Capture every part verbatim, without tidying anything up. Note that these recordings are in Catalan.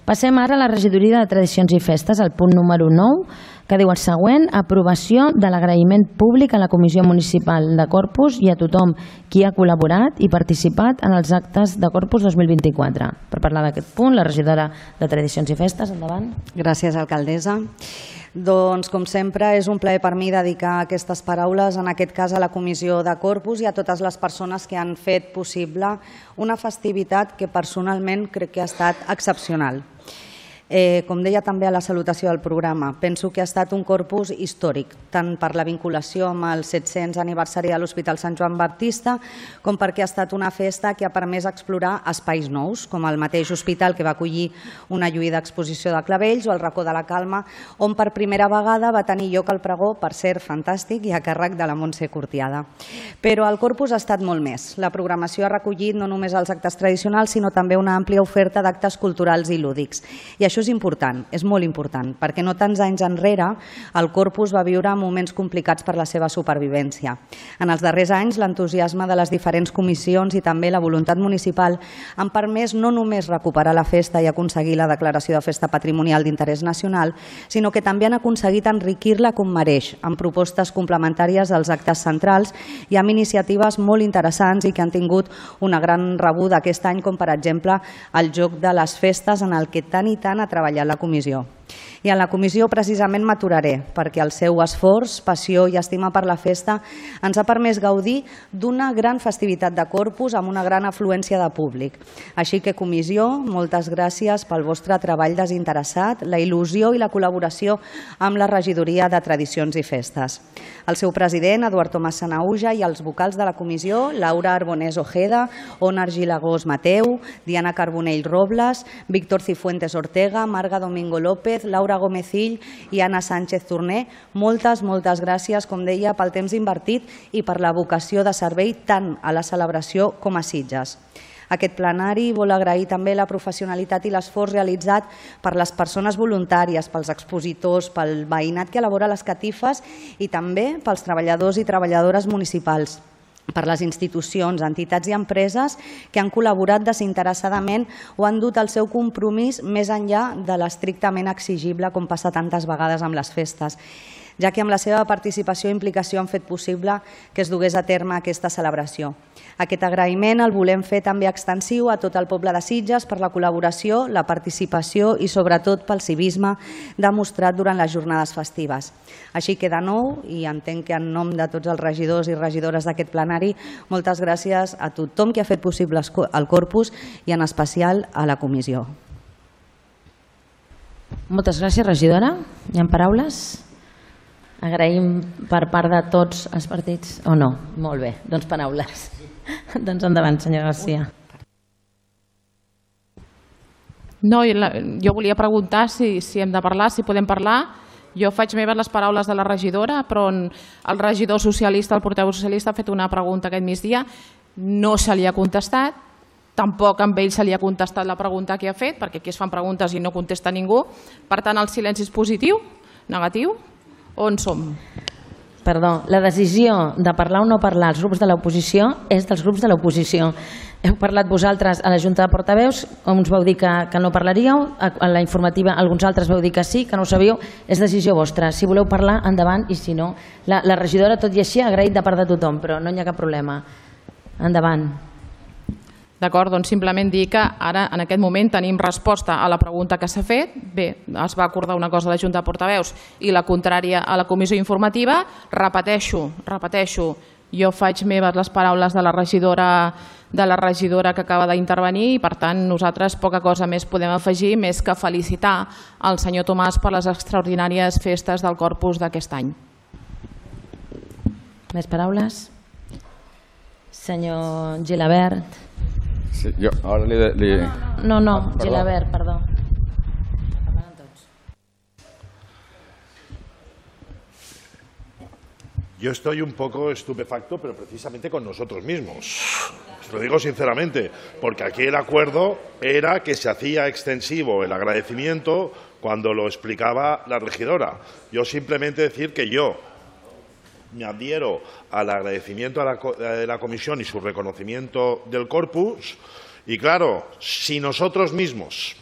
Passem ara a la regidoria de Tradicions i Festes, al punt número nou, que diu el següent: aprovació de l'agraïment públic a la Comissió Municipal de Corpus i a tothom qui ha col·laborat i participat en els actes de Corpus dos mil vint-i-quatre. Per parlar d'aquest punt, la regidora de Tradicions i Festes, endavant. Gràcies, alcaldessa. Doncs, com sempre, és un plaer per mi dedicar aquestes paraules, en aquest cas a la Comissió de Corpus i a totes les persones que han fet possible una festivitat que personalment crec que ha estat excepcional. Com deia també a la salutació del programa, penso que ha estat un corpus històric, tant per la vinculació amb el set-cents aniversari de l'Hospital Sant Joan Baptista, com perquè ha estat una festa que ha permès explorar espais nous, com el mateix hospital que va acollir una lluïda exposició de clavells o el racó de la Calma, on per primera vegada va tenir lloc el pregó, per cert fantàstic, i a càrrec de la Montse Cortiada. Però el corpus ha estat molt més. La programació ha recollit no només els actes tradicionals, sinó també una àmplia oferta d'actes culturals i lúdics. I això és important, és molt important, perquè no tants anys enrere el Corpus va viure moments complicats per la seva supervivència. En els darrers anys, l'entusiasme de les diferents comissions i també la voluntat municipal han permès no només recuperar la festa i aconseguir la declaració de festa patrimonial d'interès nacional, sinó que també han aconseguit enriquir-la com mereix, amb propostes complementàries als actes centrals i amb iniciatives molt interessants i que han tingut una gran rebuda aquest any, com per exemple el joc de les festes, en el que tant i tant ha treballat la comissió. I en la comissió precisament m'aturaré, perquè el seu esforç, passió i estima per la festa ens ha permès gaudir d'una gran festivitat de Corpus amb una gran afluència de públic. Així que, comissió, moltes gràcies pel vostre treball desinteressat, la il·lusió i la col·laboració amb la regidoria de Tradicions i Festes. El seu president, Eduard Tomàs Sanahuja, i els vocals de la comissió, Laura Arbonés Ojeda, Onar Gilagós Mateu, Diana Carbonell Robles, Víctor Cifuentes Ortega, Marga Domingo López, Laura Gómezill i Anna Sánchez Torné, moltes, moltes gràcies, com deia, pel temps invertit i per la vocació de servei tant a la celebració com a Sitges. Aquest plenari vol agrair també la professionalitat i l'esforç realitzat per les persones voluntàries, pels expositors, pel veïnat que elabora les catifes i també pels treballadors i treballadores municipals, per les institucions, entitats i empreses que han col·laborat desinteressadament o han dut el seu compromís més enllà de l'estrictament exigible, com passa tantes vegades amb les festes, ja que amb la seva participació i implicació han fet possible que es dugués a terme aquesta celebració. Aquest agraïment el volem fer també extensiu a tot el poble de Sitges per la col·laboració, la participació i sobretot pel civisme demostrat durant les jornades festives. Així que de nou, i entenc que en nom de tots els regidors i regidores d'aquest plenari, moltes gràcies a tothom que ha fet possible el Corpus i en especial a la comissió. Moltes gràcies, regidora. Hi ha paraules? Agraïm per part de tots els partits o no? Molt bé, doncs paraules. Doncs endavant, senyor Garcia. No, jo volia preguntar si hem de parlar, si podem parlar. Jo faig meves les paraules de la regidora, però el regidor socialista, el portaveu socialista, ha fet una pregunta aquest migdia, no se li ha contestat, tampoc amb ell se li ha contestat la pregunta que ha fet, perquè aquí es fan preguntes i no contesta ningú. Per tant, el silenci és positiu? Negatiu? On som? Perdó, la decisió de parlar o no parlar als grups de l'oposició és dels grups de l'oposició. Heu parlat vosaltres a la Junta de Portaveus, uns vau dir que no parlaríeu, a la informativa alguns altres vau dir que sí, que no ho sabíeu, és decisió vostra. Si voleu parlar, endavant, i si no, la regidora, tot i així, ha agraït de part de tothom, però no hi ha cap problema. Endavant. D'acord, doncs simplement dir que ara en aquest moment tenim resposta a la pregunta que s'ha fet. Bé, es va acordar una cosa a la Junta de Portaveus i la contrària a la comissió informativa. Repeteixo, repeteixo, jo faig meves les paraules de la regidora de la regidora que acaba d'intervenir i per tant nosaltres poca cosa més podem afegir més que felicitar el senyor Tomàs per les extraordinàries festes del Corpus d'aquest any. Més paraules? Senyor Gilabert. Sí, yo ahora le, le... No, no, no, ah, Gilabert, perdó. Yo estoy un poco estupefacto, pero precisamente con nosotros mismos. Os lo digo sinceramente, porque aquí el acuerdo era que se hacía extensivo el agradecimiento cuando lo explicaba la regidora. Yo simplemente decir que yo me adhiero al agradecimiento a la, de la comisión y su reconocimiento del Corpus. Y claro, si nosotros mismos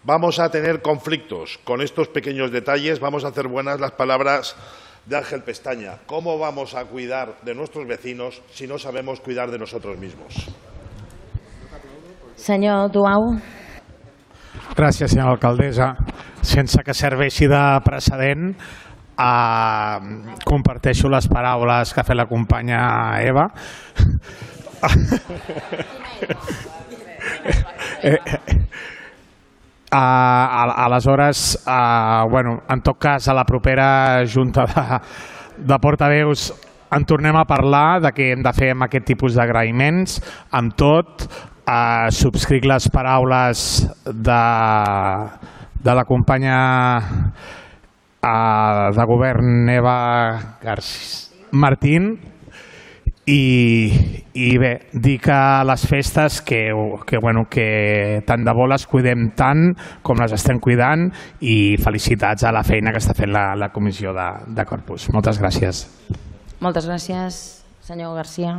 vamos a tener conflictos con estos pequeños detalles, vamos a hacer buenas las palabras de Ángel Pestaña. ¿Cómo vamos a cuidar de nuestros vecinos si no sabemos cuidar de nosotros mismos? Senyor Duau. Gràcies, senyora alcaldessa. Sense que serveixi de precedent, eh, comparteixo les paraules que ha fet la companya Eva. eh, Uh, aleshores, uh, bueno, en tot cas, a la propera junta de, de portaveus en tornem a parlar de què hem de fer amb aquest tipus d'agraïments. Amb tot, uh, subscric les paraules de, de la companya uh, de govern Eva García Martín. I, i bé, dir que les festes que, que, bueno, que tant de bo les cuidem tant com les estem cuidant, i felicitats a la feina que està fent la, la comissió de, de Corpus. Moltes gràcies. Moltes gràcies, senyor García.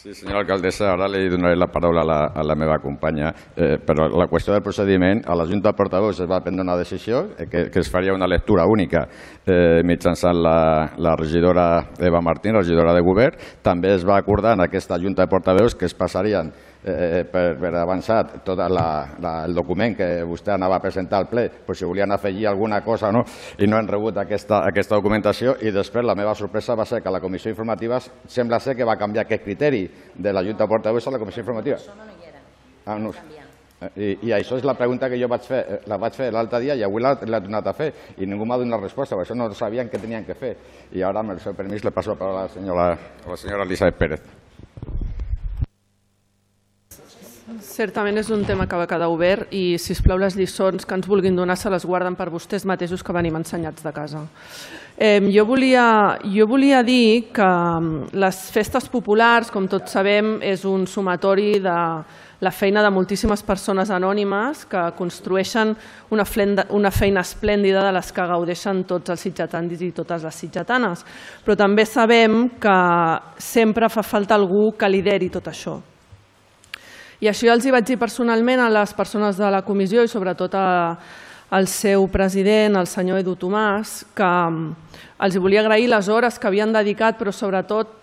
Sí, senyora alcaldessa, ara li donaré la paraula a la, a la meva companya, eh, però la qüestió del procediment, a la Junta de Portaveus es va prendre una decisió eh, que, que es faria una lectura única eh, mitjançant la, la regidora Eva Martín, regidora de govern. També es va acordar en aquesta Junta de Portaveus que es passarien eh, per, per avançat tot la, la, el document que vostè anava a presentar al ple, per si volien afegir alguna cosa o no, i no han rebut aquesta, aquesta documentació. I després la meva sorpresa va ser que la comissió informativa sembla ser que va canviar aquest criteri de la Junta de Portaveus a la comissió informativa. Això no hi era. Ah, no. I, I això és la pregunta que jo vaig fer, la vaig fer l'altre dia i avui l'he tornat a fer i ningú m'ha donat resposta, per això no sabien què tenien que fer. I ara, amb el seu permís, le passo la paraula a la senyora, a la senyora Elisabet Pérez. Certament és un tema que va quedar obert i, sisplau, les lliçons que ens vulguin donar se les guarden per vostès mateixos que venim ensenyats de casa. Eh, jo, volia, jo volia dir que les festes populars, com tots sabem, és un sumatori de la feina de moltíssimes persones anònimes que construeixen una, flenda, una feina esplèndida de les que gaudeixen tots els sitgetans i totes les sitgetanes. Però també sabem que sempre fa falta algú que lideri tot això. I això ja els hi vaig dir personalment a les persones de la comissió i sobretot al seu president, el senyor Edu Tomàs, que els volia agrair les hores que havien dedicat, però sobretot,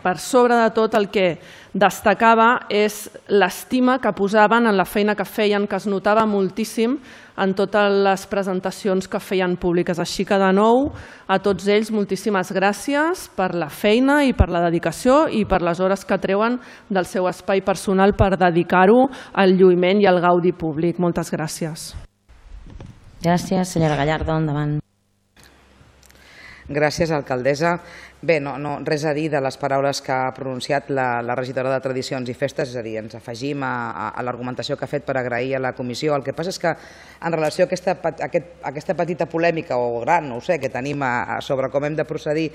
per sobre de tot, el que destacava és l'estima que posaven en la feina que feien, que es notava moltíssim en totes les presentacions que feien públiques. Així que, de nou, a tots ells, moltíssimes gràcies per la feina i per la dedicació i per les hores que treuen del seu espai personal per dedicar-ho al lluïment i al gaudi públic. Moltes gràcies. Gràcies, senyora Gallardo, endavant. Gràcies, alcaldessa. Bé, no, no, res a dir de les paraules que ha pronunciat la, la regidora de Tradicions i Festes, és a dir, ens afegim a, a, a l'argumentació que ha fet per agrair a la comissió. El que passa és que en relació a aquesta, a aquest, a aquesta petita polèmica, o gran, no ho sé, que tenim a, a sobre com hem de procedir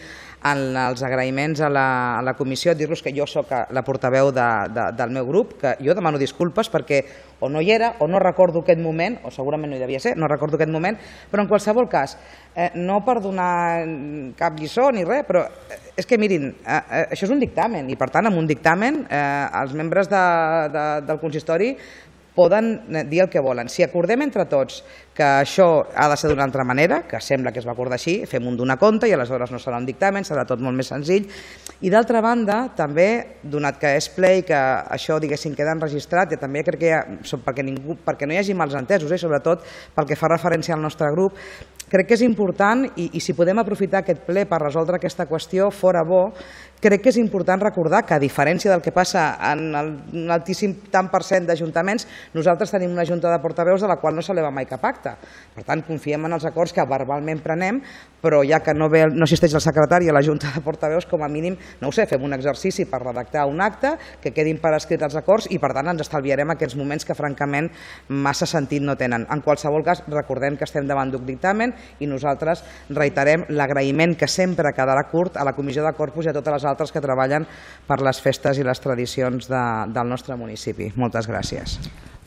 en els agraïments a la, a la comissió, dir-los que jo soc la portaveu de, de, del meu grup, que jo demano disculpes perquè o no hi era o no recordo aquest moment, o segurament no hi devia ser, no recordo aquest moment, però en qualsevol cas, eh, no per donar cap lliçó ni res, però és que mirin, eh, això és un dictamen i per tant amb un dictamen eh, els membres de, de, del consistori poden dir el que volen. Si acordem entre tots que això ha de ser d'una altra manera, que sembla que es va acordar així, fem un donar compte i aleshores no serà un dictamen, serà tot molt més senzill. I d'altra banda, també, donat que és ple i que això, diguéssim, queda enregistrat, i també crec que hi ha, perquè, ningú, perquè no hi hagi mals entesos, eh, sobretot pel que fa referència al nostre grup, crec que és important, i, i si podem aprofitar aquest ple per resoldre aquesta qüestió, fora bo, crec que és important recordar que, a diferència del que passa en el, un altíssim tant per cent d'ajuntaments, nosaltres tenim una junta de portaveus de la qual no s'eleva mai cap acte. Per tant, confiem en els acords que verbalment prenem, però ja que no, ve, no assisteix el secretari a la junta de portaveus, com a mínim, no ho sé, fem un exercici per redactar un acte, que quedin per escrit els acords i, per tant, ens estalviarem aquests moments que, francament, massa sentit no tenen. En qualsevol cas, recordem que estem davant d'un dictamen i nosaltres reiterem l'agraïment que sempre quedarà curt a la Comissió de Corpus i a totes les altres que treballen per les festes i les tradicions de, del nostre municipi. Moltes gràcies.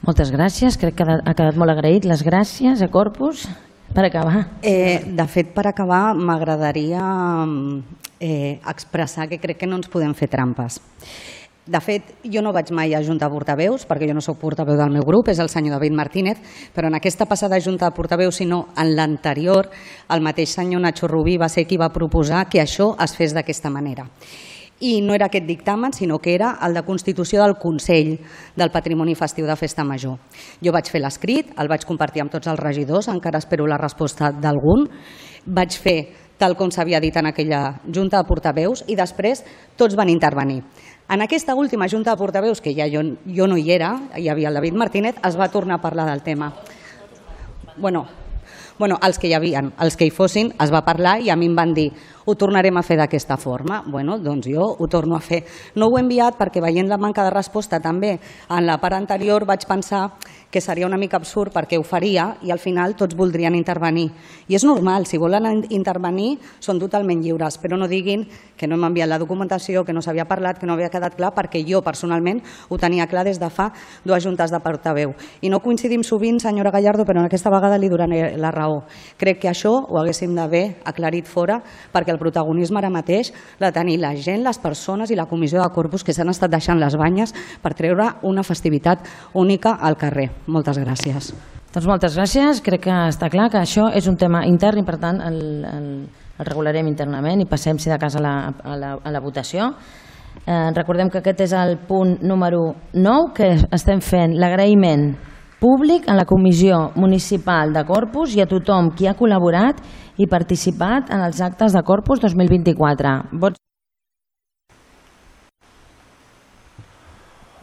Moltes gràcies, crec que ha quedat molt agraït. Les gràcies a Corpus. Per acabar. Eh, de fet, per acabar, m'agradaria eh, expressar que crec que no ens podem fer trampes. De fet, jo no vaig mai a Junta de Portaveus, perquè jo no sóc portaveu del meu grup, és el senyor David Martínez, però en aquesta passada Junta de Portaveus, sinó en l'anterior, el mateix senyor Nacho Rubí va ser qui va proposar que això es fes d'aquesta manera. I no era aquest dictamen, sinó que era el de constitució del Consell del Patrimoni Festiu de Festa Major. Jo vaig fer l'escrit, el vaig compartir amb tots els regidors, encara espero la resposta d'algun, vaig fer tal com s'havia dit en aquella Junta de Portaveus i després tots van intervenir. En aquesta última Junta de Portaveus, que ja jo, jo no hi era, hi havia el David Martínez, es va tornar a parlar del tema. Bueno, bueno, els que hi havia, els que hi fossin, es va parlar i a mi em van dir ho tornarem a fer d'aquesta forma. Bueno, doncs jo ho torno a fer. No ho he enviat perquè veient la manca de resposta també en la part anterior vaig pensar que seria una mica absurd perquè ho faria i al final tots voldrien intervenir. I és normal, si volen intervenir són totalment lliures, però no diguin que no hem enviat la documentació, que no s'havia parlat, que no havia quedat clar, perquè jo personalment ho tenia clar des de fa dues juntes de portaveu. I no coincidim sovint, senyora Gallardo, però aquesta vegada li donaré la raó. Crec que això ho haguéssim d'haver aclarit fora perquè el protagonisme ara mateix l'ha de tenir la gent, les persones i la comissió de Corpus que s'han estat deixant les banyes per treure una festivitat única al carrer. Moltes gràcies. Doncs moltes gràcies. Crec que està clar que això és un tema intern i per tant el, el, el regularem internament i passem si de cas a la, a la, a la votació. Eh, recordem que aquest és el punt número nou, que estem fent l'agraïment públic a la Comissió Municipal de Corpus i a tothom qui ha col·laborat i participat en els actes de Corpus dos mil vint-i-quatre. Vots.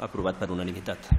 Aprovat per unanimitat.